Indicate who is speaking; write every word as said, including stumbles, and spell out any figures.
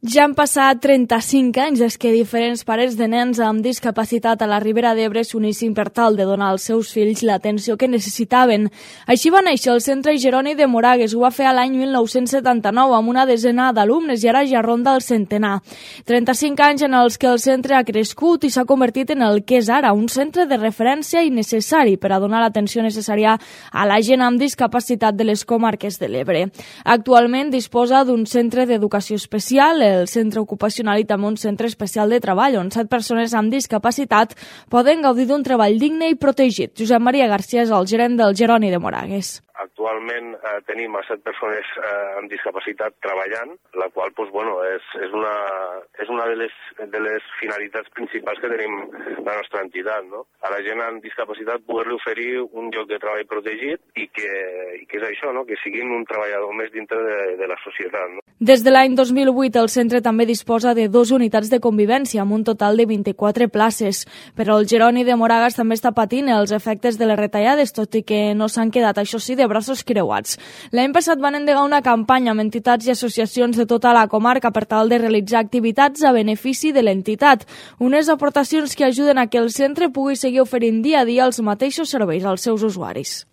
Speaker 1: Ja han passat trenta-cinc anys des que diferents pares de nens amb discapacitat a la Ribera d'Ebre s'unissin per tal de donar als seus fills l'atenció que necessitaven. Així va néixer el Centre Jeroni de Moragues. Ho va fer a l'any mil nou-cents setanta-nou amb una desena d'alumnes i ara ja ronda el centenar. trenta-cinc anys en els que el centre ha crescut i s'ha convertit en el que és ara, un centre de referència i necessari per a donar l'atenció necessària a la gent amb discapacitat de les comarques de l'Ebre. Actualment disposa d'un centre d'educació especial, el centre ocupacional i també un centre especial de treball, on set persones amb discapacitat poden gaudir d'un treball digne i protegit. Josep Maria García és el gerent del Jeroni de Moragues.
Speaker 2: Actualment eh, tenim a set persones eh, amb discapacitat treballant, la qual pues, bueno, és, és, una, és una de les, de les finalitats principals que tenim la nostra entitat. No? A la gent amb discapacitat poder-li oferir un lloc de treball protegit i que, i que és això, no? Que siguin un treballador més dintre de, de la societat. No?
Speaker 1: Des de l'any dos mil vuit el centre també disposa de dues unitats de convivència amb un total de vint-i-quatre places. Però el Jeroni de Moragues també està patint els efectes de les retallades, tot i que no s'han quedat, això sí, de braços creuats. L'any passat van endegar una campanya amb entitats i associacions de tota la comarca per tal de realitzar activitats a benefici de l'entitat. Unes aportacions que ajuden a que el centre pugui seguir oferint dia a dia els mateixos serveis als seus usuaris.